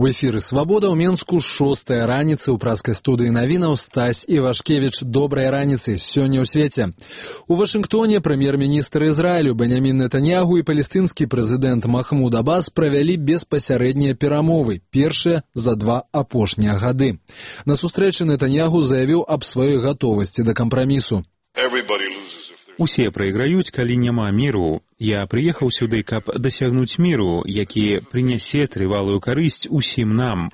У эфіры «Свабода» ў Менску 6-я раніцы ў праскай студыі навінаў Стась Івашкевіч. Добрай раніцы сёння ў свеце. У Вашынгтоне прэм'ер-міністр Ізраілю Бенямін Нетаньягу і палестынскі прэзідэнт Махмуд Аббас правялі беспасярэднія перамовы, першыя за 2 апошнія гады. На сустрэчы Нетаньягу заявіў аб сваёй гатовасці да кампрамісу. Усе прайграюць, калі няма міру. Я прыехаў сюды, каб дасягнуць міру, які прынясе трывалую карысць усім нам.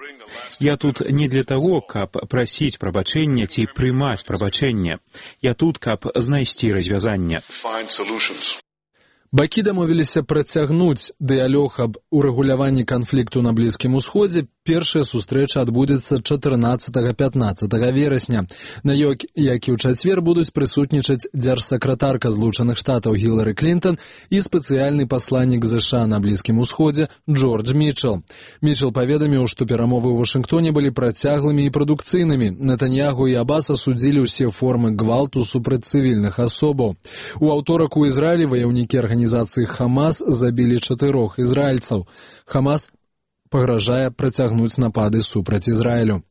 Я тут не для таго, каб прасіць прабачэння ці прымаць прабачэнне. Я тут, каб знайсці развязанне. Бакі дамовіліся працягнуць дыялог аб урэгуляванні канфлікту на Блізкім Усходзе. Першая сустрэча адбудзецца 14-15 верасня. На ёй, як і ў чацвер, будуць прысутнічаць дзяржсакратарка Злучаных Штатаў Гілары Клінтон і спецыяльны пасланнік ЗША на Блізкім Усходзе Джордж Мітчел. Мітчел паведаміў, што перамовы ў Вашынгтоне былі працяглымі і прадукцыйнымі. Нетаньягу і Аббас асудзілі ўсе формы гвалту супраць цывільных асобаў. У аўторак у Ізраілі ваяўнікі арганізацыі Хамас забілі 4 ізраільцаў. Хамас пагражае працягнуць напады супраць Ізраілю.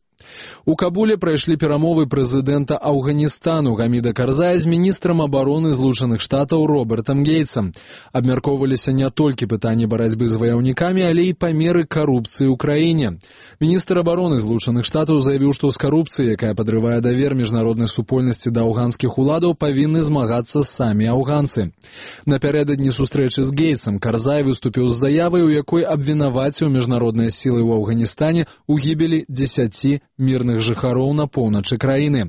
У Кабуле прайшлі перамовы прэзідэнта Афганістану Гаміда Карзая з міністрам абароны Злучаных Штатаў Робертам Гейтсам. Абмяркоўваліся не толькі пытанні барацьбы з ваяўнікамі, але і памеры карупцыі ў краіне. Міністр абароны Злучаных Штатаў заявіў, што з карупцыяй, якая падрывае давер міжнароднай супольнасці да афганскіх уладаў, павінны змагацца самі афганцы. Напярэдадні сустрэчы з Гейтсам Карзай выступіў з заявай, у якой абвінаваціў міжнародныя сілы ў Афганістане у гібелі 10 мірных жыхароў на поўначы краіны.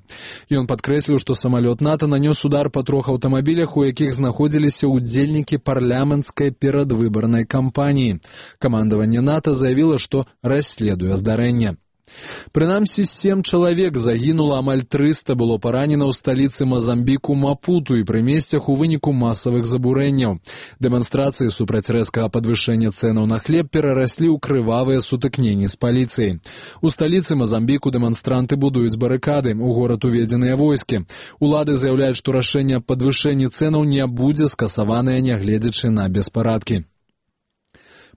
Ён падкрэсліў, што самалёт НАТО нанёс удар па 3 аўтамабілях, у якіх знаходзіліся ўдзельнікі парламенцкай перадвыбарнай кампаніі. Камандаванне НАТО заявіла, што расследуе здарэнне. Прынамсі, 7 чалавек загінула, амаль 300 было паранена ў сталіцы Мазамбіку Мапуту і пры месцах у выніку масавых забурэнняў. Дэманстрацыі супраць рэзкага падвышэння цэнаў на хлеб перараслі ў крывавыя сутыкненні з паліцыяй. У сталіцы Мазамбіку дэманстранты будуюць барыкады, у горад уведзеныя войскі. Улады заяўляюць, што рашэнне аб падвышэнні цэнаў не будзе скасаванае, нягледзячы на беспарадкі.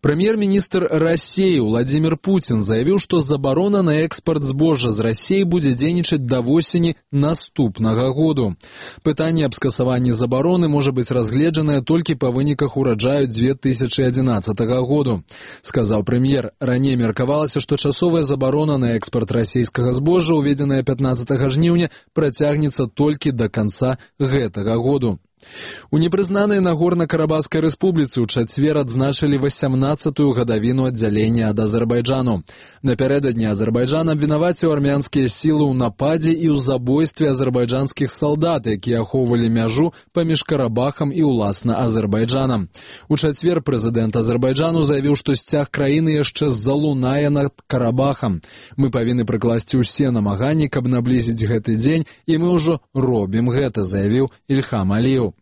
Прэм'ер-міністр Расіі Владзімір Пуцін заявіў, што забарона на экспарт збожжа з Расіі будзе дзейнічаць да восені наступнага году. Пытанне аб скасаванні забароны можа быць разгледжанае толькі па выніках ураджаю 2011 году. Сказаў прэм'ер, раней меркавалася, што часовая забарона на экспарт расійскага збожжа, уведзеная 15 жніўня, працягнецца толькі да канца гэтага году. У непрызнанай Нагорна-Карабахскай рэспубліцы ў чацвер адзначылі 18-ю гадавіну аддзялення ад Азербайджану. Напярэдадні Азербайджан абвінаваціў армянскія сілы ў нападзе і ў забойстве азербайджанскіх салдат, якія ахоўвалі мяжу паміж Карабахам і ўласна Азербайджанам. У чацвер прэзідэнт Азербайджану заявіў, што сцяг краіны яшчэ залунае над Карабахам. Мы павінны прыкласці ўсе намаганні, каб наблізіць гэты дзень, і мы ўжо робім гэта, заявіў Ільхам Аліеў.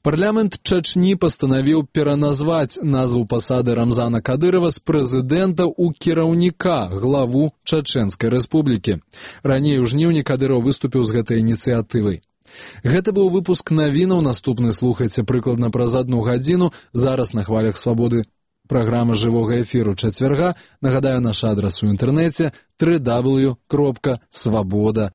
Парламент Чачні пастанавіў пераназваць назву пасады Рамзана Кадырова з прэзідэнта ў кіраўніка, главу Чачэнскай рэспублікі. Раней у жніўні Кадыров выступіў з гэтай ініцыятывай. Гэта быў выпуск навінаў, наступны слухайце прыкладна праз 1 гадзіну, зараз на хвалях свабоды. Праграма жывога эфіру чацвярга. Нагадаю, наш адрас у інтэрнэце www.swaboda.org.